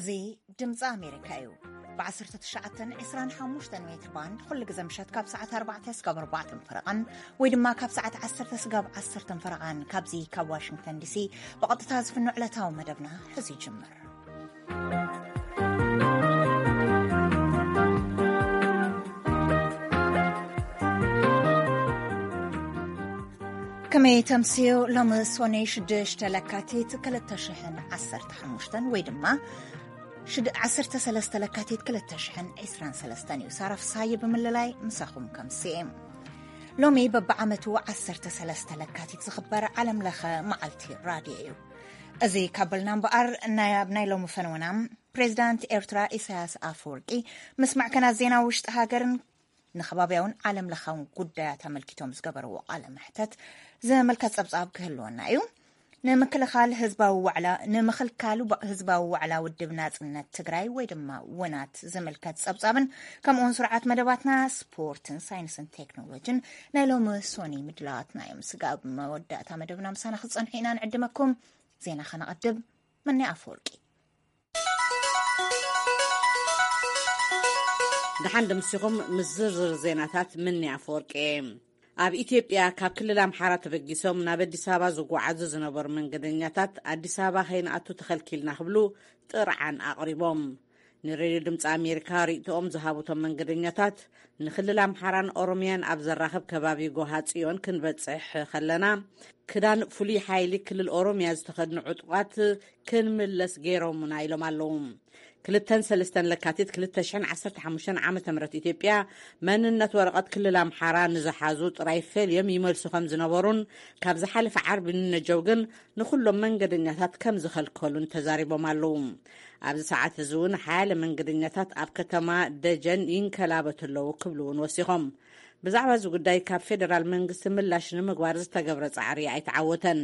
እዚ ድምፂ ኣሜሪካ እዩ። ብ19 25 ሜትር ባንድ ኩሉ ግዜ ምሸት ካብ ሰዓት ኣርባዕተ ስጋብ ኣርባዕተ ፈረቓን ወይ ድማ ካብ ሰዓት ዓሰርተ ስጋብ ዓሰርተ ፈረቓን ካብዚ ካብ ዋሽንግተን ዲሲ ብቐጥታ ዝፍኖ ዕለታዊ መደብና ሕዚ ይጅምር። ከመይ ተምስዮ? ሎሚ ሶኔ ሽዱሽተ ለካቲት ክልተ ሽሕን ዓሰርተ ሓሙሽተን ወይ ድማ ሽድ-፣ ዓሰርተ ሰለስተ ለካቲት ክልተ ሽሕን ዕስራን ሰለስተን እዩ። ሳራ ፍሳየ ብምልላይ ምሳኹም ከምስየ። ሎሚ በብዓመቱ ዓሰርተ ሰለስተ ለካቲት ዝኽበር ዓለም ለኸ መዓልቲ ራድዮ እዩ። እዚ ካብ በልና እምበኣር፣ ናይ፣ ኣብ ናይ ሎሚ ፈነወና፣ ፕሬዚዳንት ኤርትራ ኢሳያስ ኣፈወርቂ ምስ ማዕከናት ዜና ውሽጢ ሃገርን ንከባብያውን ዓለም ለኻውን ጉዳያት ኣመልኪቶም ዝገበርዎ ቃለ መሕተት ዘመልከት ጸብጻብ ክህልወና እዩ። ንምክልኻል ህዝባዊ ዋዕላ፣ ንምክልካሉ ባ-፣ ህዝባዊ ዋዕላ ውድብ ናጽነት ትግራይ ወይ ድማ ውናት ዝምልከት ጸብጻብን ከምኡውን ስርዓት መደባትና ስፖርትን ሳይንስን ቴክኖሎጂን ናይ ሎሚ ሶኒ ምድላዋትና እዮም። ስጋብ መወዳእታ መደብና ምሳና ክትጸንሑ ኢና ንዕድመኩም። ዜና ከነቐድም። መኒ ኣፈወርቂ። ደሓን ደምሲኹም። ምስ ዝርዝር ዜናታት ምኒ ኣፈወርቂ። ኣብ ኢትዮጵያ ካብ ክልል ኣምሓራ ተበጊሶም ናብ ኣዲስ ኣበባ ዝጓዓዙ ዝነበሩ መንገደኛታት ኣዲስ ኣበባ ከይንኣቱ ተኸልኪልና ክብሉ ጥርዓን ኣቕሪቦም። ንሬድዮ ድምፂ ኣሜሪካ ርእይቶኦም ዝሃቡቶም መንገደኛታት፣ ንክልል ኣምሓራን ኦሮሚያን ኣብ ዘራኽብ ከባቢ ጎሃ ጽዮን ክንበጽሕ ከለና፣ ክዳን ፍሉይ ሓይሊ ክልል ኦሮሚያ ዝተኸድኑ ዕጡቓት ክንምለስ ገይሮምና ኢሎም ኣለዉ። ክልተን ሰለስተን ለካቲት ክልተ ሽሕን ዓሰርተ ሓሙሽተን ዓመተ ምህረት ኢትዮጵያ መንነት ወረቐት ክልል ኣምሓራ ንዝሓዙ ጥራይ ፈልዮም ይመልሱ ከም ዝነበሩን ካብ ዝሓለፈ ዓርቢ ንነጀው ግን ንኹሎም መንገደኛታት ከም ዝኸልከሉን ተዛሪቦም ኣለዉ። ኣብዚ ሰዓት እዚ እውን ሓያለ መንገደኛታት ኣብ ከተማ ደጀን ይንከላበቱ ኣለዉ ክብሉ እውን ወሲኾም። ብዛዕባ እዚ ጉዳይ ካብ ፌደራል መንግስቲ ምላሽ ንምግባር ዝተገብረ ጻዕሪ ኣይተዓወተን።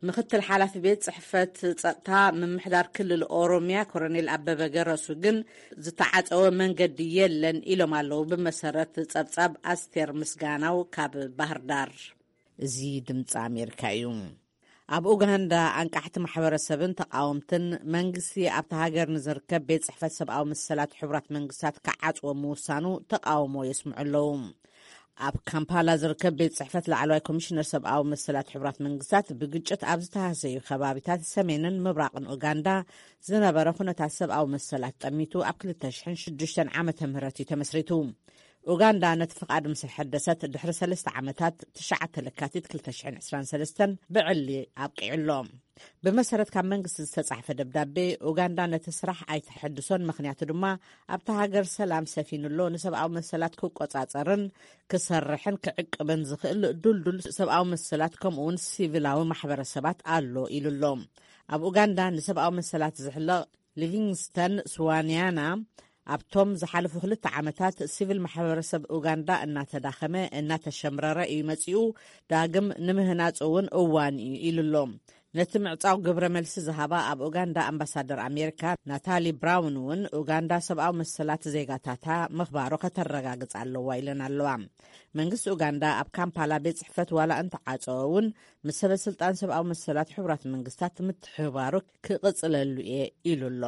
ምክትል ሓላፊ ቤት ጽሕፈት ጸጥታ ምምሕዳር ክልል ኦሮሚያ ኮሎኔል ኣበበ ገረሱ ግን ዝተዓጸወ መንገዲ የለን ኢሎም ኣለዉ። ብመሰረት ጸብጻብ ኣስቴር ምስጋናው ካብ ባህር ዳር። እዚ ድምፂ ኣሜሪካ እዩ። ኣብ ኡጋንዳ ኣንቃሕቲ ማሕበረሰብን ተቃወምትን መንግስቲ ኣብታ ሃገር ንዝርከብ ቤት ጽሕፈት ሰብኣዊ መሰላት ሕቡራት መንግስታት ክዓጽዎ ምውሳኑ ተቃውሞ የስምዑ ኣለዉ። ኣብ ካምፓላ ዝርከብ ቤት ጽሕፈት ላዕለዋይ ኮሚሽነር ሰብኣዊ መሰላት ሕቡራት መንግስታት ብግጭት ኣብ ዝተሃሰዩ ከባቢታት ሰሜንን ምብራቕን ኡጋንዳ ዝነበረ ኩነታት ሰብኣዊ መሰላት ጠሚቱ ኣብ ክልተ ሽሕን ሽዱሽተን ዓመተ ምህረት እዩ ተመስሪቱ። ኡጋንዳ ነቲ ፍቓድ ምስ ሕደሰት ድሕሪ ሰለስተ ዓመታት ትሽዓተ ለካቲት ክልተ ሽሕን ዕስራን ሰለስተን ብዕሊ ኣብቂዑ ኣሎ። ብመሰረት ካብ መንግስቲ ዝተጻሕፈ ደብዳቤ፣ ኡጋንዳ ነቲ ስራሕ ኣይትሐድሶን፣ ምኽንያቱ ድማ ኣብታ ሃገር ሰላም ሰፊኑ ኣሎ፣ ንሰብኣዊ መሰላት ክቆጻጸርን ክሰርሕን ክዕቅብን ዝኽእል ዱልዱል ሰብኣዊ መሰላት ከምኡ እውን ሲቪላዊ ማሕበረሰባት ኣሎ ኢሉ ኣሎ። ኣብ ኡጋንዳ ንሰብኣዊ መሰላት ዝሕለቕ ሊቪንግስተን ስዋንያና፣ ኣብቶም ዝሓለፉ ክልተ ዓመታት ሲቪል ማሕበረሰብ ኡጋንዳ እናተዳኸመ እናተሸምረረ እዩ መጺኡ፣ ዳግም ንምህናጽ እውን እዋን እዩ ኢሉ ኣሎ። ነቲ ምዕጻው ግብረ መልሲ ዝሃባ ኣብ ኡጋንዳ ኣምባሳደር ኣሜሪካ ናታሊ ብራውን እውን ኡጋንዳ ሰብኣዊ መሰላት ዜጋታታ ምኽባሩ ከተረጋግጽ ኣለዋ ኢለን ኣለዋ። መንግስቲ ኡጋንዳ ኣብ ካምፓላ ቤት ጽሕፈት ዋላ እንተዓጸወ እውን ምስ ሰበ ስልጣን ሰብኣዊ መሰላት ሕቡራት መንግስታት ምትሕብባሩ ክቕጽለሉ እየ ኢሉ ኣሎ።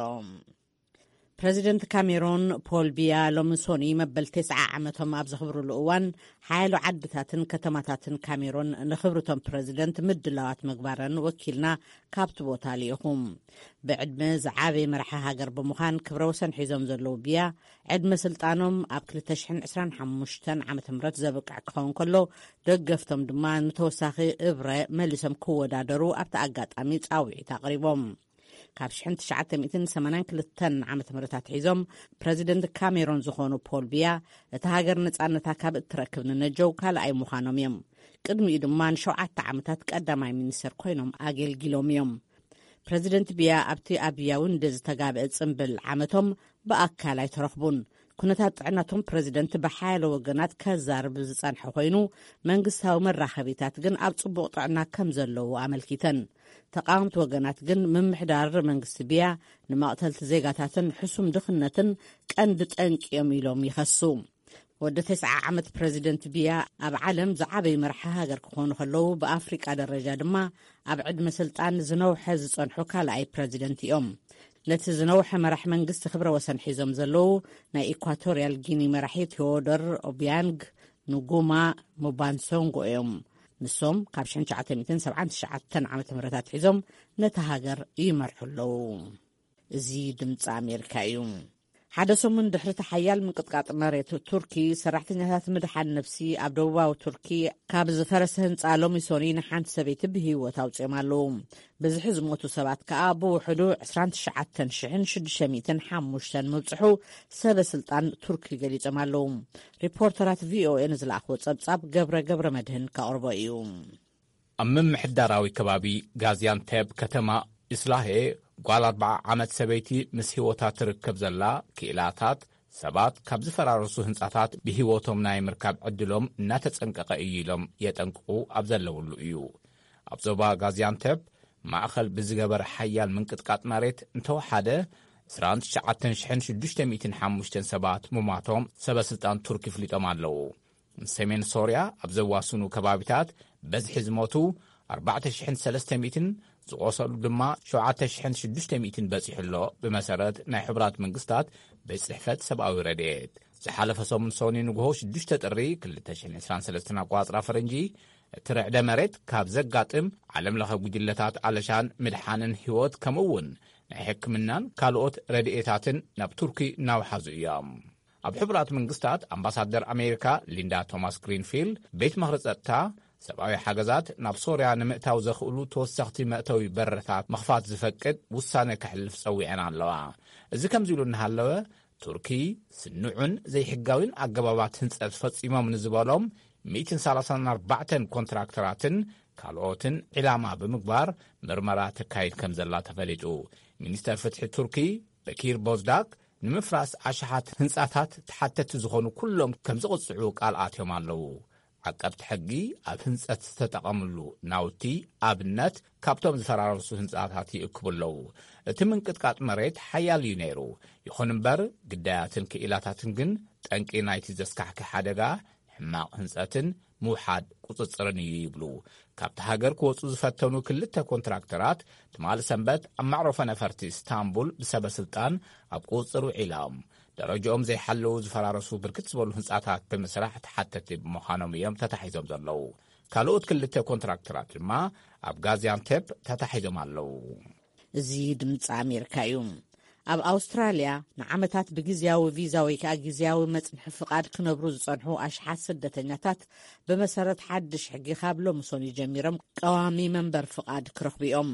ፕረዚደንት ካሜሮን ፖል ቢያ ሎሚ ሶኒ መበል ተስዓ ዓመቶም ኣብ ዘኽብሩሉ እዋን፣ ሓያሎ ዓድታትን ከተማታትን ካሜሮን ንኽብርቶም ፕረዚደንት ምድላዋት ምግባረን ወኪልና ካብቲ ቦታ ልኢኹ። ብዕድመ ዝዓበየ መራሒ ሃገር ብምዃን ክብረ ወሰን ሒዞም ዘለዉ ቢያ፣ ዕድመ ስልጣኖም ኣብ ክልተ ሽሕን ዕስራን ሓሙሽተን ዓመተ ምህረት ዘብቅዕ ክኸውን ከሎ፣ ደገፍቶም ድማ ንተወሳኺ እብረ መሊሶም ክወዳደሩ ኣብቲ ኣጋጣሚ ጻውዒት ኣቕሪቦም። ካብ ሽሕን ትሽዓተ ሚእትን ሰማንያን ክልተን ዓመተ ምህረት ኣትሒዞም ፕረዚደንት ካሜሮን ዝኾኑ ፖል ቢያ፣ እታ ሃገር ነጻነታ ካብ እትረክብ ንነጀው ካልኣይ ምዃኖም እዮም። ቅድሚኡ ድማ ንሸውዓተ ዓመታት ቀዳማይ ሚኒስተር ኮይኖም ኣገልጊሎም እዮም። ፕረዚደንት ቢያ ኣብቲ ኣብ ያውንደ ዝተጋብአ ጽምብል ዓመቶም ብኣካል ኣይተረኽቡን። ኩነታት ጥዕናቶም ፕረዚደንት ብሓያለ ወገናት ከዛርብ ዝጸንሐ ኮይኑ፣ መንግስታዊ መራኸቢታት ግን ኣብ ጽቡቕ ጥዕና ከም ዘለዉ ኣመልኪተን። ተቃወምቲ ወገናት ግን ምምሕዳር መንግስቲ ቢያ ንመቕተልቲ ዜጋታትን ሕሱም ድኽነትን ቀንዲ ጠንቂ እዮም ኢሎም ይኸሱ። ወዲ ተስዓ ዓመት ፕረዚደንት ቢያ ኣብ ዓለም ዝዓበዩ መራሒ ሃገር ክኾኑ ከለዉ፣ ብኣፍሪቃ ደረጃ ድማ ኣብ ዕድመ ስልጣን ዝነውሐ ዝጸንሑ ካልኣይ ፕረዚደንት እዮም። ነቲ ዝነውሐ መራሕ መንግስቲ ክብረ ወሰን ሒዞም ዘለዉ ናይ ኢኳቶርያል ጊኒ መራሒ ቴዎዶር ኦቢያንግ ንጉማ ሙባንሶንጎ እዮም። ንሶም ካብ ሽሕን ትሽዓተ ሚእትን ሰብዓን ትሽዓተን ዓመተ ምህረት ኣትሒዞም ነታ ሃገር ይመርሑ ኣለዉ። እዚ ድምፂ ኣሜሪካ እዩ። ሓደ ሰሙን ድሕሪ እቲ ሓያል ምንቅጥቃጥ መሬት ቱርኪ፣ ሰራሕተኛታት ምድሓን ነፍሲ ኣብ ደቡባዊ ቱርኪ ካብ ዝፈረሰ ህንፃ ሎሚ ሶኒ ንሓንቲ ሰበይቲ ብህይወት ኣውፅኦም ኣለዉ። ብዝሒ ዝሞቱ ሰባት ከኣ ብውሕዱ ዕስራን ትሽዓተን ሽሕን ሽዱሽተ ሚእትን ሓሙሽተን ምብፅሑ ሰበ ስልጣን ቱርኪ ገሊጾም ኣለዉ። ሪፖርተራት ቪኦኤ ንዝለኣኽዎ ጸብጻብ ገብረ ገብረ መድህን ከቕርቦ እዩ። ኣብ ምምሕዳራዊ ከባቢ ጋዚያንቴፕ ከተማ ኢስላሄ ጓል ኣርብዓ ዓመት ሰበይቲ ምስ ህይወታ ትርከብ ዘላ ክኢላታት ሰባት ካብ ዝፈራረሱ ህንጻታት ብህይወቶም ናይ ምርካብ ዕድሎም እናተጸንቀቐ እዩ ኢሎም የጠንቅቑ ኣብ ዘለውሉ እዩ። ኣብ ዞባ ጋዚያንቴፕ ማእኸል ብዝገበረ ሓያል ምንቅጥቃጥ መሬት እንተወሓደ ዕስራን ትሽዓተን ሽሕን ሽዱሽተ ሚእትን ሓሙሽተን ሰባት ምሟቶም ሰበ ስልጣን ቱርኪ ኣፍሊጦም ኣለዉ። ሰሜን ሶርያ ኣብ ዘዋስኑ ከባቢታት በዝሒ ዝሞቱ ኣርባዕተ ሽሕን ሰለስተ ሚእትን ዝቖሰሉ ድማ ሸውዓተ ሽሕን ሽዱሽተ ሚእትን በጺሑ ኣሎ። ብመሰረት ናይ ሕቡራት መንግስታት ቤት ጽሕፈት ሰብኣዊ ረድኤት ዝሓለፈ ሰሙን ሶኒ ንግሆ ሽዱሽተ ጥሪ ክልተ ሽሕን ዕስራን ሰለስተን ኣቋጽራ ፈረንጂ እቲ ርዕደ መሬት ካብ ዘጋጥም ዓለም ለኸ ጉጅለታት ኣለሻን ምድሓንን ህይወት ከምኡ እውን ናይ ሕክምናን ካልኦት ረድኤታትን ናብ ቱርኪ እናውሓዙ እዮም። ኣብ ሕቡራት መንግስታት ኣምባሳደር ኣሜሪካ ሊንዳ ቶማስ ግሪንፊልድ ቤት ምኽሪ ጸጥታ ሰብኣዊ ሓገዛት ናብ ሶርያ ንምእታው ዘኽእሉ ተወሰኽቲ መእተዊ በረታት ምኽፋት ዝፈቅድ ውሳነ ከሕልፍ ጸዊዐን ኣለዋ። እዚ ከምዚ ኢሉ እናሃለወ ቱርኪ ስኑዕን ዘይሕጋዊን ኣገባባት ህንጸት ፈጺሞም ንዝበሎም ሚእትን ሰላሳን ኣርባዕተን ኮንትራክተራትን ካልኦትን ዒላማ ብምግባር ምርመራ ተካይድ ከም ዘላ ተፈሊጡ። ሚኒስተር ፍትሒ ቱርኪ በኪር ቦዝዳክ ንምፍራስ ኣሽሓት ህንጻታት ተሓተቲ ዝኾኑ ኩሎም ከም ዝቕጽዑ ቃል ኣትዮም ኣለዉ። ዓቀብቲ ሕጊ ኣብ ህንጸት ዝተጠቐምሉ ናውቲ ኣብነት ካብቶም ዝፈራረሱ ህንጻታት ይእክቡ ኣለዉ። እቲ ምንቅጥቃጥ መሬት ሓያል እዩ ነይሩ። ይኹን እምበር ግዳያትን ክኢላታትን ግን ጠንቂ ናይቲ ዘስካሕክሕ ሓደጋ ሕማቕ ህንጸትን ምውሓድ ቁጽጽርን እዩ ይብሉ። ካብቲ ሃገር ክወጹ ዝፈተኑ ክልተ ኮንትራክተራት ትማሊ ሰንበት ኣብ መዕረፎ ነፈርቲ ኢስታንቡል ብሰበ ስልጣን ኣብ ቁጽጽር ውዒሎም። ደረጃኦም ዘይሓለዉ ዝፈራረሱ ብርክት ዝበሉ ህንጻታት ብምስራሕ ተሓተቲ ብምዃኖም እዮም ተታሒዞም ዘለዉ። ካልኦት ክልተ ኮንትራክተራት ድማ ኣብ ጋዚያንቴፕ ተታሒዞም ኣለዉ። እዚ ድምፂ ኣሜሪካ እዩ። ኣብ ኣውስትራልያ ንዓመታት ብግዝያዊ ቪዛ ወይ ከዓ ግዝያዊ መፅንሒ ፍቓድ ክነብሩ ዝፀንሑ ኣሽሓት ስደተኛታት ብመሰረት ሓድሽ ሕጊ ካብ ሎሚ ሶኒ ጀሚሮም ቀዋሚ መንበር ፍቓድ ክረኽቡ እዮም።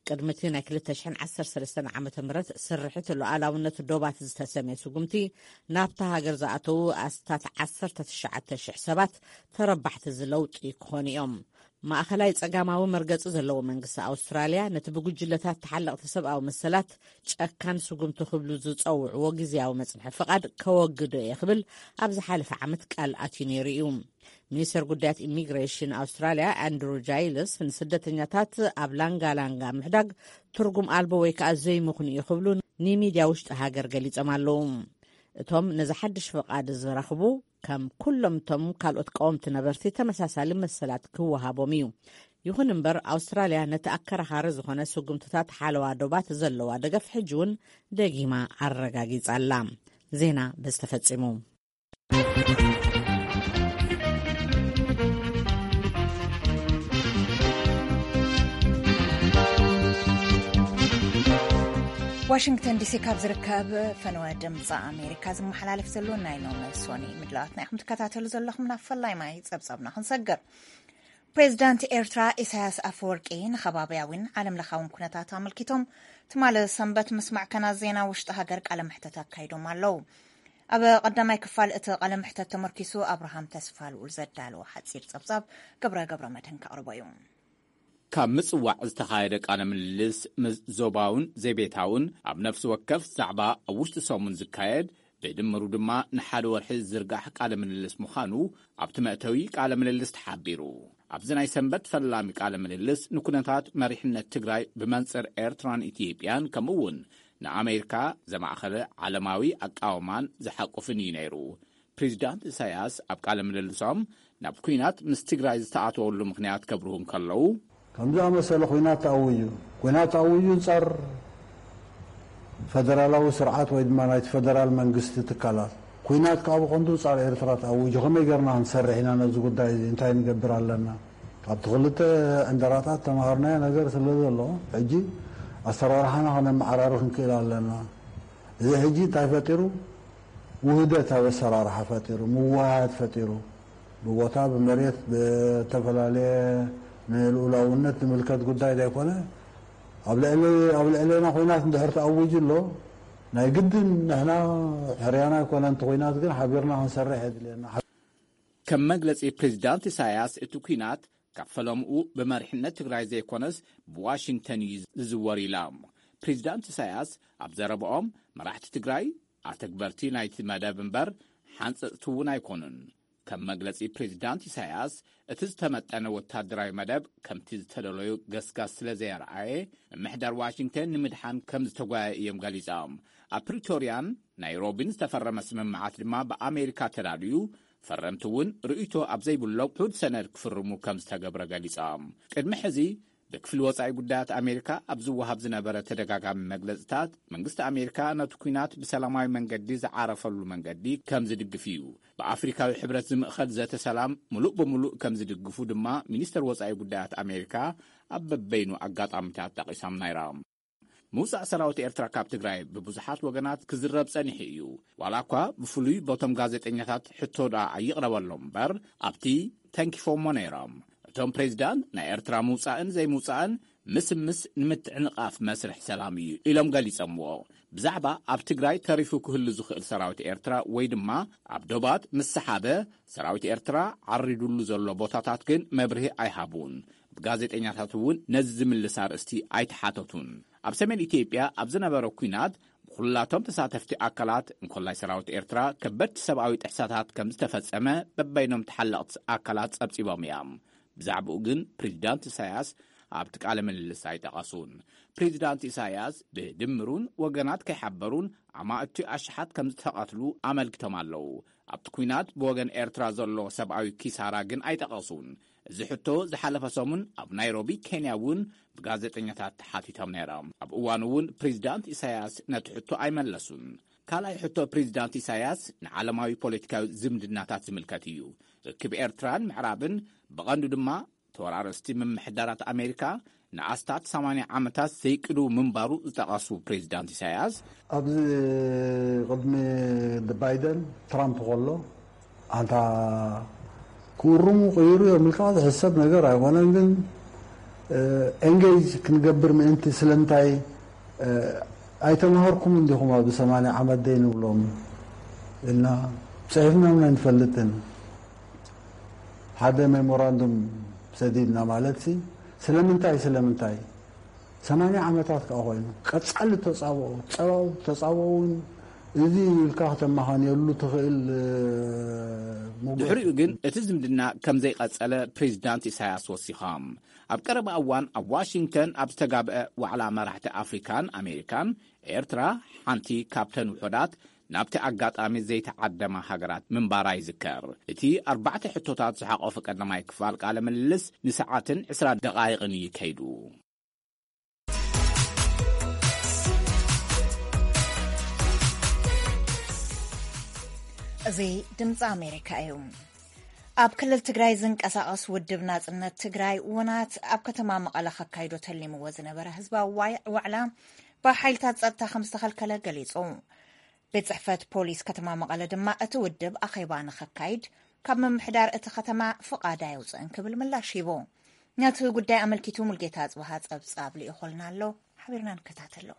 ቅድሚ እቲ ናይ ክልተ ሽሕን ዓሰርተ ሰለስተን ዓመተ ምህረት ስርሒት ሉዓላውነት ዶባት ዝተሰምየ ስጉምቲ፣ ናብታ ሃገር ዝኣተዉ ኣስታት ዓሰርተ ትሽዓተ ሽሕ ሰባት ተረባሕቲ እዚ ለውጢ ክኾኑ እዮም። ማእኸላይ ጸጋማዊ መርገጺ ዘለዎ መንግስቲ ኣውስትራልያ፣ ነቲ ብጉጅለታት ተሓለቕቲ ሰብኣዊ መሰላት ጨካን ስጉምቲ ክብሉ ዝጸውዕዎ ግዝያዊ መጽንሒ ፍቓድ ከወግዶ እየ ክብል ኣብ ዝሓለፈ ዓመት ቃል ኣትዩ ነይሩ እዩ። ሚኒስተር ጉዳያት ኢሚግሬሽን ኣውስትራልያ ኣንድሩ ጃይልስ፣ ንስደተኛታት ኣብ ላንጋ ላንጋ ምሕዳግ ትርጉም ኣልቦ ወይ ከዓ ዘይምኽኑ እዩ ክብሉ ንሚድያ ውሽጢ ሃገር ገሊጾም ኣለዉ። እቶም ነዚ ሓድሽ ፍቓድ ዝረኽቡ፣ ከም ኩሎም እቶም ካልኦት ቀወምቲ ነበርቲ፣ ተመሳሳሊ መሰላት ክወሃቦም እዩ። ይኹን እምበር፣ ኣውስትራልያ ነቲ ኣከራኻሪ ዝኾነ ስጉምትታት ሓለዋ ዶባት ዘለዋ ደገፍ ሕጂ እውን ደጊማ ኣረጋጊጻ ኣላ። ዜና በዚ ተፈጺሙ። ዋሽንግተን ዲሲ ካብ ዝርከብ ፈነወ ድምፂ ኣሜሪካ ዝመሓላለፍ ዘሎ ናይ ሎሚ ሶኒ ምድላዋትና ኢኹም ትከታተሉ ዘለኹም። ናብ ፈላይ ማይ ጸብጻብና ክንሰግር። ፕሬዚዳንት ኤርትራ ኢሳያስ ኣፈወርቂ ንኸባብያዊን ዓለምለኻውን ኩነታት ኣመልኪቶም ትማሊ ሰንበት ምስ ማዕከናት ዜና ውሽጢ ሃገር ቃለ መሕተት ኣካይዶም ኣለዉ። ኣብ ቀዳማይ ክፋል እቲ ቃለ መሕተት ተመርኪሱ ኣብርሃም ተስፋ ልኡል ዘዳለዎ ሓጺር ጸብጻብ ገብረ ገብረ መድህን ከቕርቦ እዩ። ካብ ምጽዋዕ ዝተኻየደ ቃለ ምልልስ ምስ ዞባውን ዘይቤታውን ኣብ ነፍሲ ወከፍ ዛዕባ ኣብ ውሽጢ ሰሙን ዝካየድ ብድምሩ ድማ ንሓደ ወርሒ ዝዝርጋሕ ቃለ ምልልስ ምዃኑ ኣብቲ መእተዊ ቃለ ምልልስ ተሓቢሩ። ኣብዚ ናይ ሰንበት ፈላሚ ቃለ ምልልስ ንኩነታት መሪሕነት ትግራይ ብመንጽር ኤርትራን ኢትዮጵያን ከምኡ እውን ንኣሜሪካ ዘማእኸለ ዓለማዊ ኣቃውማን ዝሓቁፍን እዩ ነይሩ። ፕሬዚዳንት ኢሳያስ ኣብ ቃለ ምልልሶም ናብ ኲናት ምስ ትግራይ ዝተኣተወሉ ምኽንያት ከብርሁ እንከለዉ፣ ከም ዝኣመሰለ ኲናት ተኣውዩ፣ ኲናት ተኣውዩ እንጻር ፈደራላዊ ስርዓት ወይ ድማ ናይቲ ፈደራል መንግስቲ ትካላት። ኲናት ከዓ ብቐንዱ ጻር ኤርትራ ተኣዊጁ። ከመይ ገርና ክንሰርሕ ኢና ነዚ ጉዳይ እዚ? እንታይ ንገብር ኣለና? ካብቲ ክልተ ዕንደራታት ተምሃርናዮ ነገር ስለ ዘሎ፣ ሕጂ ኣሰራርሓና ከነመዓራሪ ክንክእል ኣለና። እዚ ሕጂ እንታይ ፈጢሩ? ውህደት ኣብ ኣሰራርሓ ፈጢሩ፣ ምውህሃድ ፈጢሩ፣ ብቦታ ብመሬት ብተፈላለየ ንልኡላውነት ዝምልከት ጉዳይ ዘይኮነ፣ ኣብ ልዕሊ ኣብ ልዕሌና ኲናት እንድሕር ተኣዊጁ ኣሎ፣ ናይ ግድን ንሕና ሕርያና ኣይኮነ፣ እንተ ኲናት ግን ሓቢርና ክንሰርሕ የድልየና። ከም መግለጺ ፕሬዚዳንት ኢሳያስ፣ እቲ ኲናት ካብ ፈለምኡ ብመሪሕነት ትግራይ ዘይኮነስ ብዋሽንግተን እዩ ዝዝወር ኢሎም። ፕሬዚዳንት ኢሳያስ ኣብ ዘረባኦም፣ መራሕቲ ትግራይ ኣተግበርቲ ናይቲ መደብ እምበር ሓንፀፅቲ እውን ኣይኮኑን። ከም መግለፂ ፕሬዚዳንት ኢሳያስ፣ እቲ ዝተመጠነ ወታደራዊ መደብ ከምቲ ዝተደለዩ ገስጋስ ስለ ዘየርኣየ፣ ምምሕዳር ዋሽንግተን ንምድሓን ከም ዝተጓየ እዮም ገሊፆም። ኣብ ፕሪቶርያን ናይሮቢን ዝተፈረመ ስምምዓት ድማ ብኣሜሪካ ተዳልዩ፣ ፈረምቲ እውን ርእይቶ ኣብ ዘይብሎም ውሑድ ሰነድ ክፍርሙ ከም ዝተገብረ ገሊፆም። ቅድሚ ሕዚ ብክፍሊ ወጻኢ ጉዳያት ኣሜሪካ ኣብ ዝወሃብ ዝነበረ ተደጋጋሚ መግለጽታት፣ መንግስቲ ኣሜሪካ ነቲ ኲናት ብሰላማዊ መንገዲ ዝዓረፈሉ መንገዲ ከም ዝድግፍ እዩ። ብኣፍሪካዊ ሕብረት ዝምእኸል ዘተ ሰላም ምሉእ ብምሉእ ከም ዝድግፉ ድማ ሚኒስተር ወጻኢ ጉዳያት ኣሜሪካ ኣብ በበይኑ ኣጋጣሚታት ጠቒሶም ነይሮም። ምውጻእ ሰራዊት ኤርትራ ካብ ትግራይ ብብዙሓት ወገናት ክዝረብ ጸኒሑ እዩ። ዋላ እኳ ብፍሉይ በቶም ጋዜጠኛታት ሕቶ ደኣ ኣይቕረበሎም እምበር፣ ኣብቲ ተንኪፎሞ ነይሮም። እቶም ፕሬዚዳንት፣ ናይ ኤርትራ ምውጻእን ዘይምውጻእን ምስምስ ንምትዕንቓፍ መስርሕ ሰላም እዩ ኢሎም ገሊጾምዎ። ብዛዕባ ኣብ ትግራይ ተሪፉ ክህሉ ዝኽእል ሰራዊት ኤርትራ ወይ ድማ ኣብ ዶባት ምስ ሰሓበ ሰራዊት ኤርትራ ዓሪዱሉ ዘሎ ቦታታት ግን መብርሂ ኣይሃቡን። ብጋዜጠኛታት እውን ነዚ ዝምልስ ኣርእስቲ ኣይተሓተቱን። ኣብ ሰሜን ኢትዮጵያ ኣብ ዝነበረ ኲናት ብኹላቶም ተሳተፍቲ ኣካላት፣ እንኮላይ ሰራዊት ኤርትራ፣ ከበድቲ ሰብኣዊ ጥሕሰታት ከም ዝተፈጸመ በበይኖም ተሓለቕቲ ኣካላት ጸብጺቦም እዮም። ብዛዕባኡ ግን ፕሬዚዳንት ኢሳያስ ኣብቲ ቃለ ምልልስ ኣይጠቐሱን። ፕሬዚዳንት ኢሳያስ ብድምሩን ወገናት ከይሓበሩን ኣማእቲ ኣሽሓት ከም ዝተቐትሉ ኣመልኪቶም ኣለዉ። ኣብቲ ኲናት ብወገን ኤርትራ ዘሎ ሰብኣዊ ኪሳራ ግን ኣይጠቐሱን። እዚ ሕቶ ዝሓለፈ ሰሙን ኣብ ናይሮቢ ኬንያ እውን ብጋዜጠኛታት ተሓቲቶም ነይሮም። ኣብ እዋኑ እውን ፕሬዚዳንት ኢሳያስ ነቲ ሕቶ ኣይመለሱን። ካልኣይ ሕቶ ፕሬዚዳንት ኢሳያስ ንዓለማዊ ፖለቲካዊ ዝምድናታት ዝምልከት እዩ። ርክብ ኤርትራን ምዕራብን ብቐንዱ ድማ ተወራረስቲ ምምሕዳራት ኣሜሪካ ንኣስታት ሰማንያ ዓመታት ዘይቅድው ምንባሩ ዝጠቐሱ ፕሬዚዳንት ኢሳያስ፣ ኣብዚ ቅድሚ ባይደን ትራምፕ ከሎ ኣንታ ክውርሙ ቅይሩ እዮም ኢልካ ዝሕሰብ ነገር ኣይኮነን። ግን ኤንጌጅ ክንገብር ምእንቲ ስለምንታይ ኣይተማሃርኩም እንዲኹም ኣብ ሰማንያ ዓመት ደይ ንብሎም ኢልና ጽሒፍና እውን ኣይንፈልጥን። ሓደ ሜሞራንዱም ሰዲድና ማለት ሲ ስለምንታይ ስለምንታይ ሰማንያ ዓመታት ከዓ ኮይኑ ቀጻሊ ተጻብኦ ጸባው ተጻብኦ እውን እዚ ኢልካ ከተመኻንየሉ ትኽእል ሙግት። ድሕሪኡ ግን እቲ ዝምድና ከም ዘይቐጸለ ፕሬዚዳንት ኢሳያስ ወሲኾም። ኣብ ቀረባ እዋን ኣብ ዋሽንግተን ኣብ ዝተጋብአ ዋዕላ መራሕቲ ኣፍሪካን ኣሜሪካን፣ ኤርትራ ሓንቲ ካብተን ውሑዳት ናብቲ ኣጋጣሚ ዘይተዓደማ ሃገራት ምንባራ ይዝከር። እቲ ኣርባዕተ ሕቶታት ዝሓቆፈ ቀዳማይ ክፋል ቃለ ምልልስ ንሰዓትን ዕስራ ደቓይቕን እዩ ከይዱ። እዚ ድምፂ ኣሜሪካ እዩ። ኣብ ክልል ትግራይ ዝንቀሳቐስ ውድብ ናፅነት ትግራይ፣ ውናት፣ ኣብ ከተማ መቐለ ከካይዶ ተሊምዎ ዝነበረ ህዝባዊ ዋይ- ዋዕላ ብሓይልታት ጸጥታ ከም ዝተኸልከለ ገሊጹ። ቤት ጽሕፈት ፖሊስ ከተማ መቐለ ድማ እቲ ውድብ ኣኼባ ንኸካይድ ካብ ምምሕዳር እቲ ከተማ ፍቓድ ኣየውፅእን ክብል ምላሽ ሂቡ። ነቲ ጉዳይ ኣመልኪቱ ሙልጌታ ኣጽብሃ ጸብጻብ ልኢኾልና ኣሎ፣ ሓቢርና ንከታተሎ።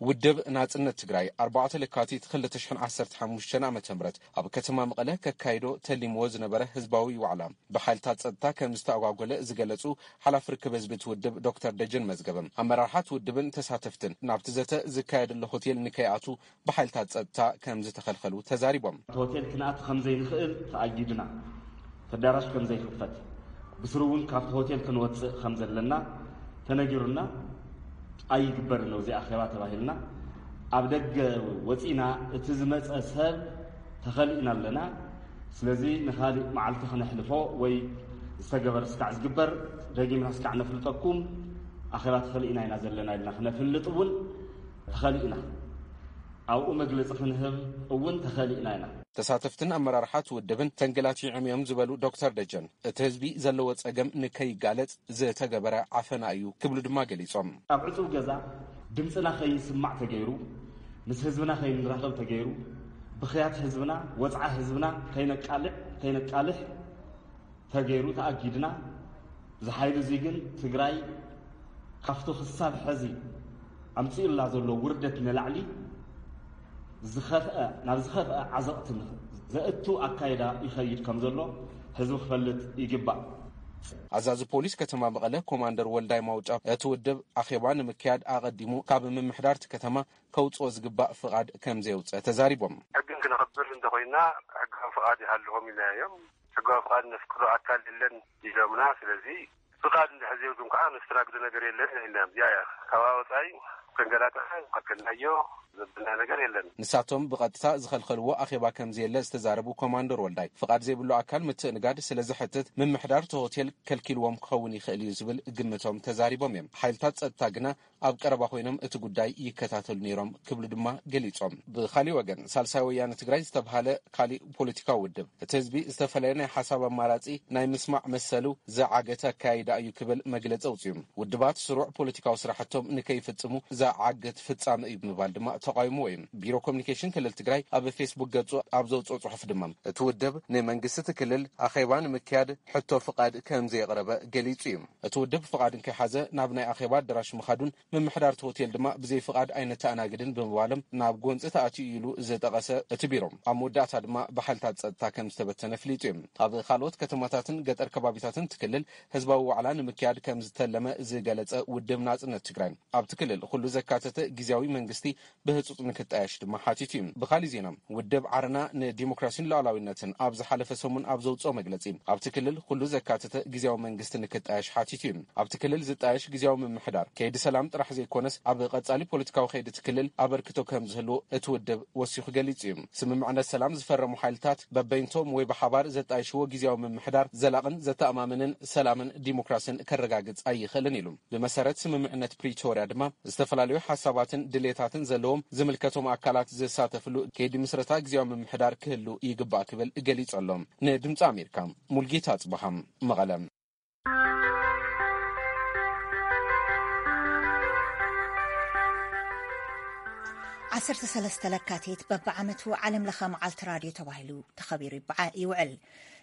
ውድብ ናጽነት ትግራይ ኣርባዕተ ለካቲት ክልተ ሽሕን ዓሰርተ ሓሙሽተን ዓመተ ምህረት ኣብ ከተማ መቐለ ከካይዶ ተሊምዎ ዝነበረ ህዝባዊ ዋዕላ ብሓይልታት ጸጥታ ከም ዝተኣጓጎለ ዝገለጹ ሓላፊ ርክብ ህዝቢ እቲ ውድብ ዶክተር ደጀን መዝገበ፣ ኣመራርሓት ውድብን ተሳተፍትን ናብቲ ዘተ ዝካየደሉ ሆቴል ንከይኣቱ ብሓይልታት ጸጥታ ከም ዝተኸልኸሉ ተዛሪቦም። እቲ ሆቴል ክንኣቱ ከም ዘይንኽእል ተኣጊድና፣ እቲ ኣዳራሽ ከም ዘይኽፈት፣ ብስሩ እውን ካብቲ ሆቴል ክንወጽእ ከም ዘለና ተነጊሩና፣ ኣይግበርን ነው እዚ ኣኼባ ተባሂልና፣ ኣብ ደገ ወጺና፣ እቲ ዝመጸ ሰብ ተኸሊእና ኣለና። ስለዚ ንኻሊእ መዓልቲ ክነሕልፎ ወይ ዝተገበረ ስካዕ ዝግበር ደጊምና ስካዕ ነፍልጠኩም፣ ኣኼባ ተኸሊእና ኢና ዘለና ኢልና ክነፍልጥ እውን ተኸሊእና ኣብኡ መግለጺ ክንህብ እውን ተኸሊእና ኢና። ተሳተፍትን ኣመራርሓት ውድብን ተንገላቲዖም እዮም ዝበሉ ዶክተር ደጀን፣ እቲ ህዝቢ ዘለዎ ጸገም ንከይጋለጽ ዝተገበረ ዓፈና እዩ ክብሉ ድማ ገሊጾም። ኣብ ዕጹው ገዛ ድምፅና ከይስማዕ ተገይሩ፣ ምስ ህዝብና ከይንራኸብ ተገይሩ፣ ብኽያት ህዝብና፣ ወፅዓ ህዝብና ከይነቃልዕ፣ ከይነቃልሕ ተገይሩ ተኣጊድና። እዚ ሓይሊ እዚ ግን ትግራይ ካብቲ ክሳብ ሕዚ ኣምፂኡላ ዘሎ ውርደት ንላዕሊ ዝኸፍአ፣ ናብ ዝኸፍአ ዓዘቕቲ ዘእቱ ኣካይዳ ይኸይድ ከም ዘሎ ህዝቢ ክፈልጥ ይግባእ። ኣዛዚ ፖሊስ ከተማ መቐለ ኮማንደር ወልዳይ ማውጫ፣ እቲ ውድብ ኣኼባ ንምክያድ ኣቐዲሙ ካብ ምምሕዳር እቲ ከተማ ከውፅኦ ዝግባእ ፍቓድ ከም ዘየውፅአ ተዛሪቦም። ሕግን ክነኽብር እንተኾይና፣ ሕጋዊ ፍቓድ ይሃልዎም ኢልና እዮም። ሕጋዊ ፍቓድ ነፍቅዶ ኣካል የለን ኢሎምና። ስለዚ ፍቓድ እንድሕር ዘይብልኩም ከዓ ነስተናግዶ ነገር የለን ኢልና እዮም። እዚኣ እያ። ካብኣ ወፃኢ ከንገላትዐ ከልከልናዮ ዘብልና ነገር የለን። ንሳቶም ብቐጥታ ዝኸልኸልዎ ኣኼባ ከም ዘየለ ዝተዛረቡ ኮማንደር ወልዳይ፣ ፍቓድ ዘይብሉ ኣካል ምትእንጋድ ስለ ዘሕትት ምምሕዳር እቲ ሆቴል ከልኪልዎም ክኸውን ይኽእል እዩ ዝብል ግምቶም ተዛሪቦም እዮም። ሓይልታት ጸጥታ ግና ኣብ ቀረባ ኮይኖም እቲ ጉዳይ ይከታተሉ ነይሮም ክብሉ ድማ ገሊጾም። ብኻሊእ ወገን፣ ሳልሳይ ወያነ ትግራይ ዝተብሃለ ካሊእ ፖለቲካዊ ውድብ፣ እቲ ህዝቢ ዝተፈላለየ ናይ ሓሳብ ኣማራጺ ናይ ምስማዕ መሰሉ ዝዓገተ ኣካያይዳ እዩ ክብል መግለጺ ኣውጺኡ። ውድባት ስሩዕ ፖለቲካዊ ስራሕቶም ንከይፍጽሙ ዝዓግት ፍጻመ እዩ ብምባል ድማ ተቃዊምዎ እዩ። ቢሮ ኮሚኒኬሽን ክልል ትግራይ ኣብ ፌስቡክ ገጹ ኣብ ዘውጽኦ ጽሑፍ ድማ፣ እቲ ውድብ ንመንግስቲ እቲ ክልል ኣኼባ ንምክያድ ሕቶ ፍቓድ ከም ዘየቕረበ ገሊጹ እዩ። እቲ ውድብ ፍቓድ እንከይሓዘ ናብ ናይ ኣኼባ ኣዳራሽ ምኻዱን ምምሕዳር እቲ ሆቴል ድማ ብዘይ ፍቓድ ኣይነተኣናግድን ብምባሎም ናብ ጎንፂ ተኣትዩ ኢሉ ዝጠቐሰ እቲ ቢሮ፣ ኣብ መወዳእታ ድማ ብሓይልታት ጸጥታ ከም ዝተበተነ ኣፍሊጡ እዩ። ኣብ ካልኦት ከተማታትን ገጠር ከባቢታትን እቲ ክልል ህዝባዊ ዋዕላ ንምክያድ ከም ዝተለመ ዝገለጸ ውድብ ናጽነት ትግራይ፣ ኣብቲ ክልል ኩሉ ዘካተተ ግዝያዊ መንግስቲ ብህጹጽ ንክጣየሽ ድማ ሓቲቱ እዩ። ብኻሊእ ዜና፣ ውድብ ዓረና ንዲሞክራሲን ሉዓላዊነትን ኣብ ዝሓለፈ ሰሙን ኣብ ዘውጽኦ መግለጺ፣ ኣብቲ ክልል ኩሉ ዘካተተ ግዝያዊ መንግስቲ ንክጣየሽ ሓቲቱ እዩ። ኣብቲ ክልል ዝጣየሽ ግዝያዊ ምምሕዳር ከይዲ ሰላም ጥራሕ ዘይኮነስ፣ ኣብ ቀጻሊ ፖለቲካዊ ከይዲ እቲ ክልል ኣበርክቶ ከም ዝህልዎ እቲ ውድብ ወሲኹ ገሊጹ እዩ። ስምምዕነት ሰላም ዝፈረሙ ሓይልታት በበይንቶም ወይ ብሓባር ዘጣይሽዎ ግዝያዊ ምምሕዳር ዘላቕን ዘተኣማምንን ሰላምን ዲሞክራሲን ከረጋግጽ ኣይኽእልን ኢሉ። ብመሰረት ስምምዕነት ፕሪቶርያ ድማ፣ ዝተፈላለዩ ሓሳባትን ድሌታትን ዘለዎም ዝምልከቶም ኣካላት ዝሳተፍሉ ከይዲ ምስረታ ግዝያዊ ምምሕዳር ክህሉ ይግባእ ክብል ገሊጹ ኣሎ። ንድምፂ ኣሜሪካ፣ ሙልጌታ ኣጽበሃ፣ መቐለ። ዓሰርተ ሰለስተ ለካቲት በብዓመቱ ዓለም ለኸ መዓልቲ ራድዮ ተባሂሉ ተኸቢሩ ይበዓ-፣ ይውዕል።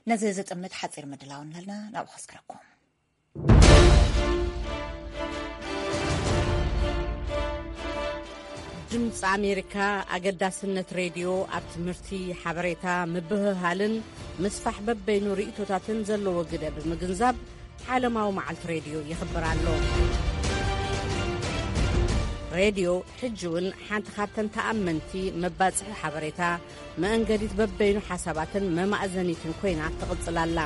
ነዚ ዝጥምት ሓፂር ምድላው ኣለና፣ ናብኡ ከስክረኩም። ድምፂ ኣሜሪካ ኣገዳስነት ሬድዮ ኣብ ትምህርቲ፣ ሓበሬታ፣ ምብህሃልን ምስፋሕ በበይኑ ርእይቶታትን ዘለዎ ግደ ብምግንዛብ ዓለማዊ መዓልቲ ሬድዮ ይኽብር ኣሎ። ሬድዮ ሕጂ እውን ሓንቲ ካብተን ተኣመንቲ መባፅሒ ሓበሬታ፣ መእንገዲት በበይኑ ሓሳባትን መማእዘኒትን ኮይና ትቕጽል ኣላ።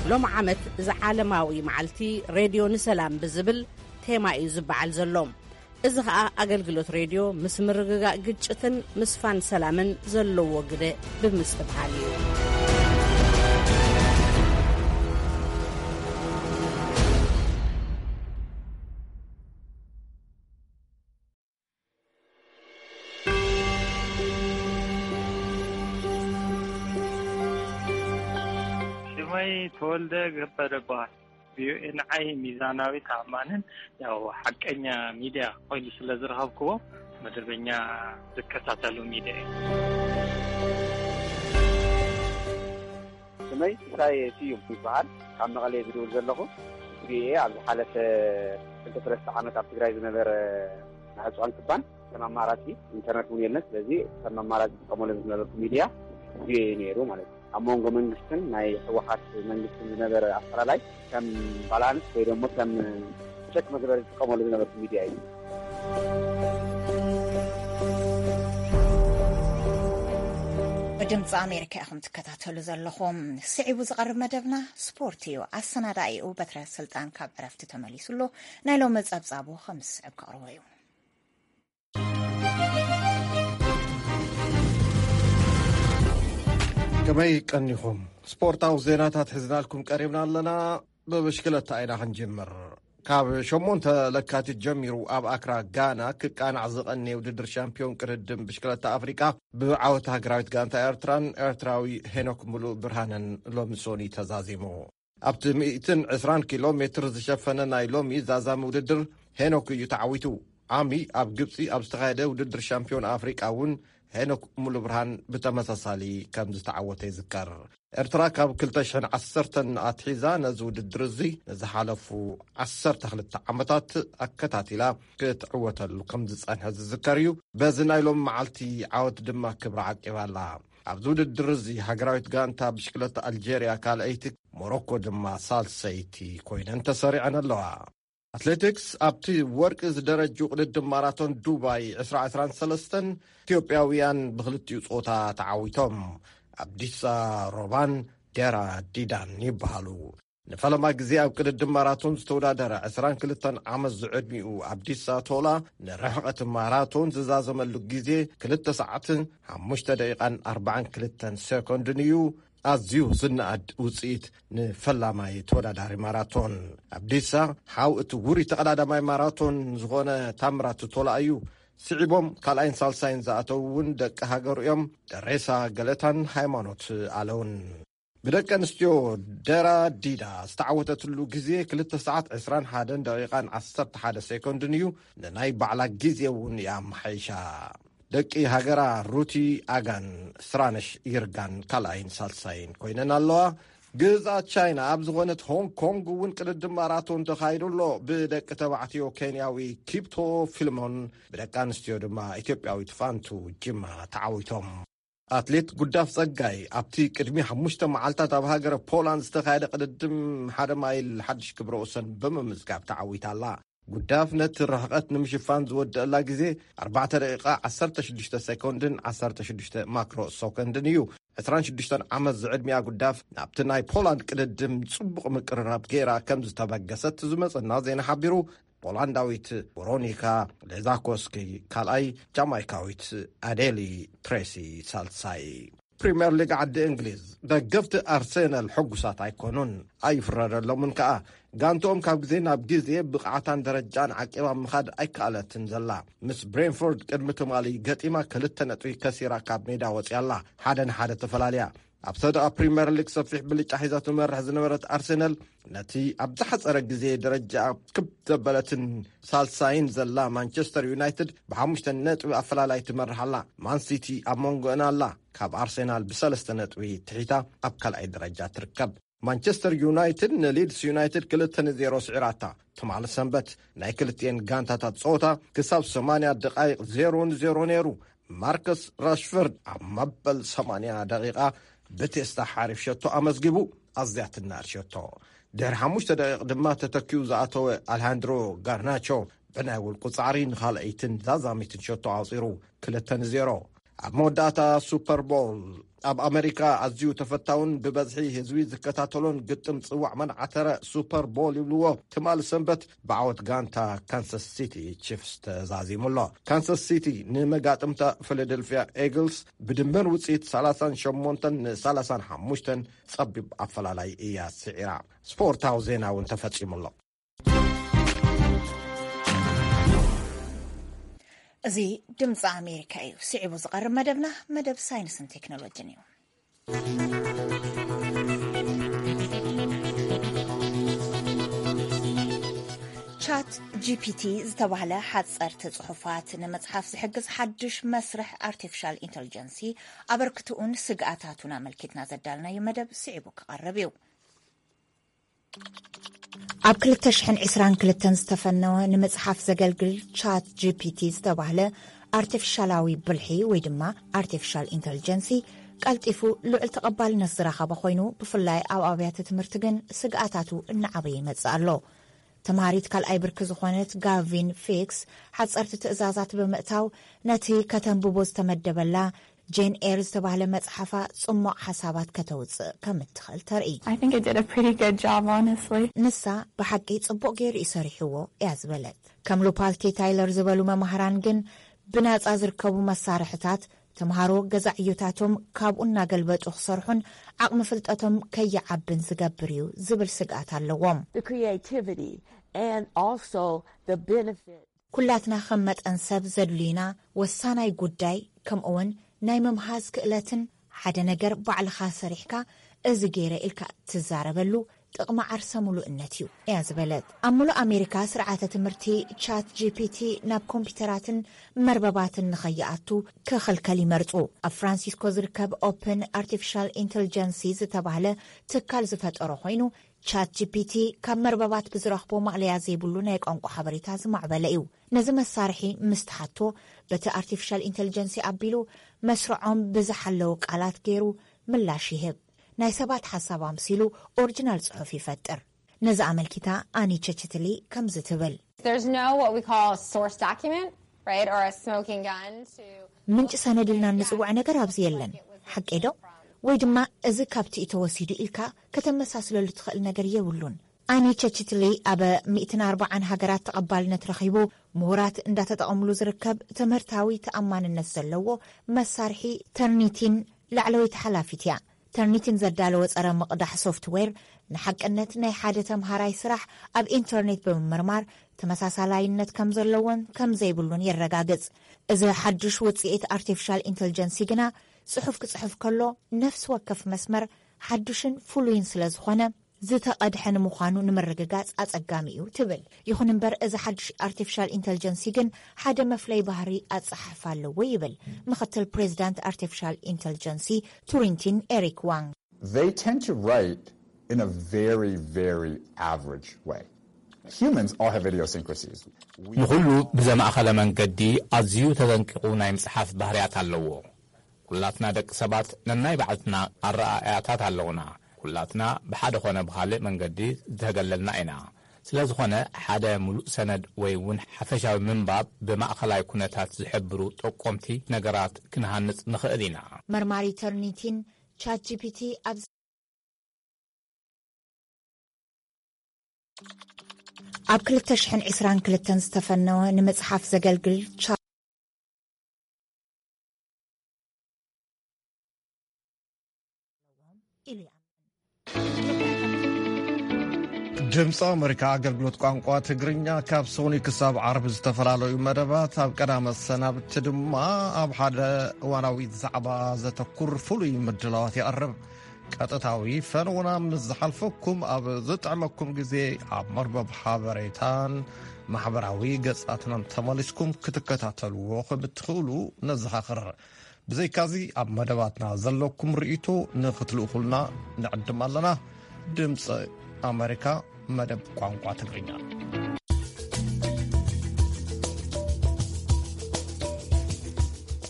ሎም ዓመት እዚ ዓለማዊ መዓልቲ ሬድዮ ንሰላም ብዝብል ቴማ እዩ ዝበዓል ዘሎ። እዚ ኸኣ ኣገልግሎት ሬድዮ ምስ ምርግጋእ ግጭትን ምስፋን ሰላምን ዘለዎ ግደ ብምስትብሃል እዩ። ሽመይ ተወልደ ገበረ እበሃል። ቪኦኤ ንዓይ ሚዛናዊ፣ ተኣማንን ያው ሓቀኛ ሚድያ ኮይኑ ስለ ዝረኸብክዎ መደበኛ ዝከታተሉ ሚድያ እዩ። ሽመይ ሲሳይ ስዩም ይበሃል። ካብ መቐለ ዝድውል ዘለኹ። ቪኦኤ ኣብ ዝሓለፈ ክልተ ሰለስተ ዓመት ኣብ ትግራይ ዝነበረ ማዕጾ ኣንክባን ከም ኣማራጺ፣ ኢንተርነት እውን የለን። ስለዚ ከም ኣማራጺ ዝጥቀመሉ ዝነበርኩ ሚድያ ቪኦኤ ነይሩ ማለት እዩ። ኣብ መንጎ መንግስትን ናይ ህወሓት መንግስትን ዝነበረ ኣፈላላይ ከም ባላንስ ወይ ደግሞ ከም ቸክ መግበሪ ዝጥቀመሉ ዝነበርኩ ሚድያ እዩ። ብድምፂ ኣሜሪካ ኢኹም ትከታተሉ ዘለኹም። ስዒቡ ዝቐርብ መደብና ስፖርት እዩ። ኣሰናዳኢኡ በትረ ስልጣን ካብ ዕረፍቲ ተመሊሱ ኣሎ። ናይ ሎሚ ጸብጻቡ ከም ዝስዕብ ከቕርቦ እዩ። ከመይ ቀኒኹም? ስፖርታዊ ዜናታት ሒዝናልኩም ቀሪብና ኣለና። ብብሽክለታ ኢና ክንጅምር። ካብ ሸሞንተ ለካቲት ጀሚሩ ኣብ ኣክራ ጋና ክቃናዕ ዝቐነየ ውድድር ሻምፒዮን ቅድድም ብሽክለታ ኣፍሪቃ ብዓወት ሃገራዊት ጋንታ ኤርትራን ኤርትራዊ ሄኖክ ሙሉእ ብርሃንን ሎሚ ሶኒ ተዛዚሙ። ኣብቲ ሚእትን ዕስራን ኪሎ ሜትር ዝሸፈነ ናይ ሎሚ ዛዛሚ ውድድር ሄኖክ እዩ ተዓዊቱ። ዓሚ ኣብ ግብጺ ኣብ ዝተኻየደ ውድድር ሻምፒዮን ኣፍሪቃ እውን ሄኖክ ሙሉብርሃን ብተመሳሳሊ ከም ዝተዓወተ ይዝከር። ኤርትራ ካብ ክልተ ሽሕን ዓሰርተን ኣትሒዛ ነዚ ውድድር እዚ ንዝሓለፉ ዓሰርተ ክልተ ዓመታት ኣከታቲላ ክትዕወተሉ ከም ዝጸንሐ ዝዝከር እዩ። በዚ ናይ ሎም መዓልቲ ዓወት ድማ ክብራ ዓቂባ ኣላ። ኣብዚ ውድድር እዚ ሃገራዊት ጋንታ ብሽክለታ ኣልጀርያ ካልኣይቲ፣ ሞሮኮ ድማ ሳልሰይቲ ኮይነን ተሰሪዐን ኣለዋ። ኣትሌቲክስ፣ ኣብቲ ወርቂ ዝደረጁ ቅድድም ማራቶን ዱባይ ዕስራ ዕስራን ሰለስተን ኢትዮጵያውያን ብክልቲኡ ጾታ ተዓዊቶም። ኣብዲሳ ሮባን ዴራ ዲዳን ይበሃሉ። ንፈለማ ግዜ ኣብ ቅድድም ማራቶን ዝተወዳደረ ዕስራን ክልተን ዓመት ዝዕድሚኡ ኣብዲሳ ቶላ ንርሕቐት ማራቶን ዝዛዘመሉ ግዜ ክልተ ሰዓትን ሓሙሽተ ደቂቓን ኣርባዓን ክልተን ሴኮንድን እዩ። ኣዝዩ ዝነኣድ ውጽኢት ንፈላማይ ተወዳዳሪ ማራቶን። ኣብዲሳ ሓው እቲ ውሩይ ተቐዳዳማይ ማራቶን ዝኾነ ታምራት ቶላ እዩ። ስዒቦም ካልኣይን ሳልሳይን ዝኣተዉ እውን ደቂ ሃገሩ እዮም። ደሬሳ ገለታን ሃይማኖት ኣለውን። ብደቂ ኣንስትዮ ደራ ዲዳ ዝተዓወተትሉ ግዜ ክልተ ሰዓት ዕስራን ሓደን ደቂቓን ዓሰርተ ሓደ ሴኮንድን እዩ። ንናይ ባዕላ ግዜ እውን እያ ኣመሓይሻ። ደቂ ሃገራ ሩቲ ኣጋን ስራነሽ ይርጋን ካልኣይን ሳልሳይን ኮይነን ኣለዋ። ግዝኣት ቻይና ኣብ ዝኾነት ሆንግ ኮንግ እውን ቅድድም ማራቶን ተኻይዱ ኣሎ። ብደቂ ተባዕትዮ ኬንያዊ ኪፕቶ ፊልሞን፣ ብደቂ ኣንስትዮ ድማ ኢትዮጵያዊት ፋንቱ ጅማ ተዓዊቶም። ኣትሌት ጉዳፍ ጸጋይ ኣብቲ ቅድሚ ሓሙሽተ መዓልታት ኣብ ሃገረ ፖላንድ ዝተኻየደ ቅድድም ሓደ ማይል ሓድሽ ክብረ ወሰን ብምምዝጋብ ተዓዊታ ኣላ። ጉዳፍ ነቲ ርሕቐት ንምሽፋን ዝወደአላ ግዜ ኣርባዕተ ደቂቓ ዓሰርተ ሽዱሽተ ሴኮንድን ዓሰርተ ሽዱሽተ ማክሮ ሰኮንድን እዩ። ዕስራን ሽዱሽተን ዓመት ዝዕድሚያ ጉዳፍ ናብቲ ናይ ፖላንድ ቅድድም ጽቡቕ ምቅርራብ ገይራ ከም ዝተበገሰት ዝመጸና ዜና ሓቢሩ። ፖላንዳዊት ቨሮኒካ ሌዛኮስኪ ካልኣይ፣ ጃማይካዊት ኣዴሊ ትሬሲ ሳልሳይ። ፕሪምየር ሊግ ዓዲ እንግሊዝ፣ ደገፍቲ ኣርሴናል ሕጉሳት ኣይኮኑን፣ ኣይፍረደሎምን ከኣ። ጋንትኦም ካብ ግዜ ናብ ግዜ ብቕዓታን ደረጃን ዓቂባ ምኻድ ኣይከኣለትን ዘላ። ምስ ብሬንፎርድ ቅድሚ ትማሊ ገጢማ ክልተ ነጥቢ ከሲራ ካብ ሜዳ ወጺኣ ኣላ። ሓደ ንሓደ ተፈላልያ። ኣብታ ደኣ ፕሪምየር ሊግ ሰፊሕ ብልጫ ሒዛ ትመርሕ ዝነበረት ኣርሴናል፣ ነቲ ኣብ ዝሓጸረ ግዜ ደረጃ ክብ ዘበለትን ሳልሳይን ዘላ ማንቸስተር ዩናይትድ ብሓሙሽተ ነጥቢ ኣፈላላይ ትመርሕ ኣላ። ማን ሲቲ ኣብ መንጎአን ኣላ። ካብ ኣርሴናል ብሰለስተ ነጥቢ ትሒታ ኣብ ካልኣይ ደረጃ ትርከብ። ማንቸስተር ዩናይትድ ንሊድስ ዩናይትድ ክልተ ንዜሮ ስዒራታ። ትማሊ ሰንበት ናይ ክልቲኤን ጋንታታት ጸወታ ክሳብ ሰማንያ ደቓይቕ ዜሮ ንዜሮ ነይሩ። ማርከስ ራሽፈርድ ኣብ መበል ሰማንያ ደቒቓ ብቴስታ ሓሪፍ ሸቶ ኣመዝጊቡ። ኣዝያ ትናድ ሸቶ። ድሕሪ ሓሙሽተ ደቂቕ ድማ ተተኪኡ ዝኣተወ ኣልሃንድሮ ጋርናቾ ብናይ ውልቁ ጻዕሪ ንኻልኣይትን ዛዛሚትን ሸቶ ኣውጺሩ። ክልተ ንዜሮ። ኣብ መወዳእታ ሱፐር ቦል፣ ኣብ ኣመሪካ ኣዝዩ ተፈታውን ብበዝሒ ህዝቢ ዝከታተሎን ግጥም ጽዋዕ መንዓተረ ሱፐር ቦል ይብልዎ፣ ትማሊ ሰንበት ብዓወት ጋንታ ካንሳስ ሲቲ ቺፍስ ተዛዚሙ ኣሎ። ካንሳስ ሲቲ ንመጋጥምታ ፊላደልፊያ ኤግልስ ብድምር ውጽኢት ሰላሳን ሸሞንተን ንሰላሳን ሓሙሽተን ጸቢብ ኣፈላላይ እያ ስዒራ። ስፖርታዊ ዜና እውን ተፈጺሙ ኣሎ። እዚ ድምፂ ኣሜሪካ እዩ። ስዒቡ ዝቐርብ መደብና መደብ ሳይንስን ቴክኖሎጂን እዩ። ቻት ጂፒቲ ዝተባህለ ሓፀርቲ ፅሑፋት ንምፅሓፍ ዝሕግዝ ሓዱሽ መስርሕ ኣርቲፊሻል ኢንተሊጀንሲ ኣበርክትኡን ስግኣታቱን ኣመልኪትና ዘዳልናዮ መደብ ስዒቡ ክቐርብ እዩ። ኣብ ክልተ ሽሕን ዕስራን ክልተን ዝተፈነወ ንምጽሓፍ ዘገልግል ቻት ጂፒቲ ዝተባህለ ኣርቲፊሻላዊ ብልሒ ወይ ድማ ኣርቲፊሻል ኢንተሊጀንሲ ቀልጢፉ ልዑል ተቐባልነት ዝረኸበ ኮይኑ፣ ብፍላይ ኣብ ኣብያተ ትምህርቲ ግን ስግኣታቱ እናዓበየ ይመጽእ ኣሎ። ተምሃሪት ካልኣይ ብርኪ ዝኾነት ጋቪን ፊክስ ሓጸርቲ ትእዛዛት ብምእታው ነቲ ከተንብቦ ዝተመደበላ ጄን ኤር ዝተባህለ መጽሓፋ ጽሞቕ ሓሳባት ከተውጽእ ከም እትኽእል ተርኢ። I think I did a pretty good job, honestly. ንሳ ብሓቂ ጽቡቕ ገይሩ እዩ ሰሪሕዎ እያ ዝበለት። ከም ሉፓልቲ ታይለር ዝበሉ መማህራን ግን ብናጻ ዝርከቡ መሳርሕታት ተምሃሮ ገዛ ዕዮታቶም ካብኡ እናገልበጡ ክሰርሑን ዓቕሚ ፍልጠቶም ከይዓብን ዝገብር እዩ ዝብል ስግኣት ኣለዎም። The creativity and also the benefit. ኩላትና ከም መጠን ሰብ ዘድልዩና ወሳናይ ጉዳይ ከምኡውን ናይ ምምሃዝ ክእለትን ሓደ ነገር ባዕልኻ ሰሪሕካ እዚ ገይረ ኢልካ ትዛረበሉ ጥቕሚ ዓርሰ ምሉእነት እዩ እያ ዝበለት። ኣብ ምሉእ ኣሜሪካ ስርዓተ ትምህርቲ ቻት ጂ ፒ ቲ ናብ ኮምፒውተራትን መርበባትን ንኸይኣቱ ክኽልከል ይመርጹ። ኣብ ፍራንሲስኮ ዝርከብ ኦፕን ኣርቲፊሻል ኢንተልጀንሲ ዝተባህለ ትካል ዝፈጠሮ ኮይኑ ቻት ጂ ፒ ቲ ካብ መርበባት ብዝረኽቦ ማእለያ ዘይብሉ ናይ ቋንቋ ሓበሬታ ዝማዕበለ እዩ። ነዚ መሳርሒ ምስ ተሓቶ በቲ ኣርቲፊሻል ኢንተልጀንሲ ኣቢሉ መስርዖም ብዝሓለዉ ቃላት ገይሩ ምላሽ ይህብ። ናይ ሰባት ሓሳብ ኣምሲሉ ኦሪጂናል ጽሑፍ ይፈጥር። ነዚ ኣመልኪታ ኣኒ ቸችትሊ ከምዚ ትብል። There's no what we call a source document, right, or a smoking gun to ምንጭ ሰነድ ኢልና እንጽውዖ ነገር ኣብዚ የለን። ሓቂ ዶ? ወይ ድማ እዚ ካብቲ እዩ ተወሲዱ ኢልካ ከተመሳስለሉ ትኽእል ነገር የብሉን። ኣኒ ቸችትሊ ኣብ ሚእትን ኣርባዓን ሃገራት ተቐባልነት ረኺቡ ምሁራት እንዳተጠቐምሉ ዝርከብ ትምህርታዊ ተኣማንነት ዘለዎ መሳርሒ ተርኒቲን ላዕለወይቲ ሓላፊት እያ። ተርኒቲን ዘዳለወ ጸረ ምቕዳሕ ሶፍትዌር ንሓቅነት ናይ ሓደ ተምሃራይ ስራሕ ኣብ ኢንተርኔት ብምምርማር ተመሳሳላይነት ከም ዘለዎን ከም ዘይብሉን የረጋግጽ። እዚ ሓድሽ ውጽኢት ኣርቲፊሻል ኢንተልጀንሲ ግና ጽሑፍ ክጽሕፍ ከሎ ነፍሲ ወከፍ መስመር ሓድሽን ፍሉይን ስለ ዝኾነ ዝተቐድሐ ንምዃኑ ንምርግጋጽ ኣጸጋሚ እዩ ትብል። ይኹን እምበር እዚ ሓድሽ ኣርቲፊሻል ኢንተልጀንሲ ግን ሓደ መፍለይ ባህሪ ኣጸሓሕፋ ኣለዎ ይብል ምኽትል ፕሬዚዳንት ኣርቲፊሻል ኢንተልጀንሲ ቱሪንቲን ኤሪክ ዋንግ። They tend to write in a very, very average way. Humans all have idiosyncrasies. We ንኹሉ ብዘማእኸለ መንገዲ ኣዝዩ ተጠንቂቑ ናይ ምጽሓፍ ባህርያት ኣለዎ። ኩላትና ደቂ ሰባት ነናይ ባዕልና ኣረኣእያታት ኣለውና። ኩላትና ብሓደ ኾነ ብኻልእ መንገዲ ዝተገለልና ኢና። ስለ ዝኾነ ሓደ ምሉእ ሰነድ ወይ እውን ሓፈሻዊ ምንባብ ብማእኸላይ ኩነታት ዝሕብሩ ጠቆምቲ ነገራት ክንሃንጽ ንኽእል ኢና። መርማሪ ተርኒቲን ቻት ጂ ፒ ቲ ኣብ ኣብ ክልተ ሽሕን ዕስራን ክልተን ዝተፈነወ ንምጽሓፍ ዘገልግል ቻ ኢሉ ይኣምን። ድምፂ ኣመሪካ ኣገልግሎት ቋንቋ ትግርኛ ካብ ሰኒ ክሳብ ዓርቢ ዝተፈላለዩ መደባት ኣብ ቀዳመ ሰናብቲ ድማ ኣብ ሓደ እዋናዊ ዛዕባ ዘተኩር ፍሉይ ምድላዋት የቕርብ። ቀጥታዊ ፈነውና ምስ ዝሓልፈኩም ኣብ ዝጥዕመኩም ግዜ ኣብ መርበብ ሓበሬታን ማሕበራዊ ገጻትናን ተመሊስኩም ክትከታተልዎ ከም እትኽእሉ ነዘኻኽር። ብዘይካዚ ኣብ መደባትና ዘለኩም ርእይቶ ንኽትልእኹልና ንዕድም ኣለና። ድምፂ ኣመሪካ መደብ ቋንቋ ትግርኛ።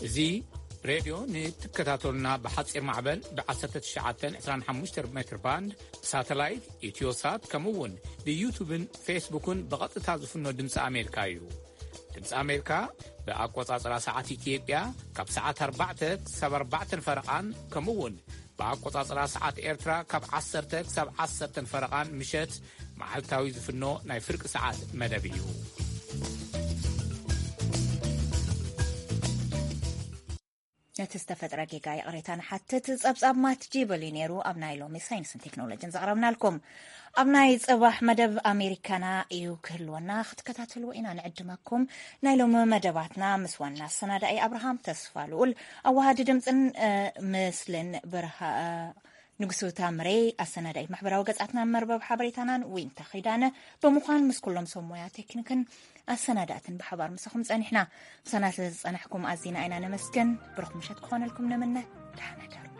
እዚ ሬድዮ ንትከታተሉና ብሓፂር ማዕበል ብ1925 ሜትር ባንድ ብሳተላይት ኢትዮሳት ከምኡ እውን ብዩቱብን ፌስቡክን ብቐጥታ ዝፍኖ ድምፂ ኣሜሪካ እዩ። ድምፂ ኣሜሪካ ብኣቆፃፅራ ሰዓት ኢትዮጵያ ካብ ሰዓት ኣርባዕተ ክሳብ ኣርባዕተን ፈረቓን ከምኡ እውን ብኣቆፃፅራ ሰዓት ኤርትራ ካብ ዓሰርተ ክሳብ ዓሰርተን ፈረቓን ምሸት መዓልታዊ ዝፍኖ ናይ ፍርቂ ሰዓት መደብ እዩ። ነቲ ዝተፈጥረ ጌጋ ይቕሬታ ንሓትት። ጸብጻብ ማት ጂበሊ ነይሩ ኣብ ናይ ሎሚ ሳይንስን ቴክኖሎጅን ዘቕረብናልኩም። ኣብ ናይ ጽባሕ መደብ ኣሜሪካና እዩ ክህልወና፣ ክትከታተልዎ ኢና ንዕድመኩም። ናይ ሎሚ መደባትና ምስ ዋና ኣሰናዳኢ ኣብርሃም ተስፋ ልኡል፣ ኣዋሃዲ ድምፅን ምስልን ብርሃ ንጉሱ ታምሬ፣ ኣሰናዳኢት ማሕበራዊ ገጻትናን መርበብ ሓበሬታናን ዊንታ ኺዳነ ብምዃን ምስ ኩሎም ሰብ ሞያ ቴክኒክን ኣሰናዳእትን ብሓባር ምሳኹም ጸኒሕና። ምሳና ስለ ዝጸናሕኩም ኣዚና ኢና ነመስግን። ብሩኽ ምሸት ክኾነልኩም ንምነ። ደሓን ሕደሩ።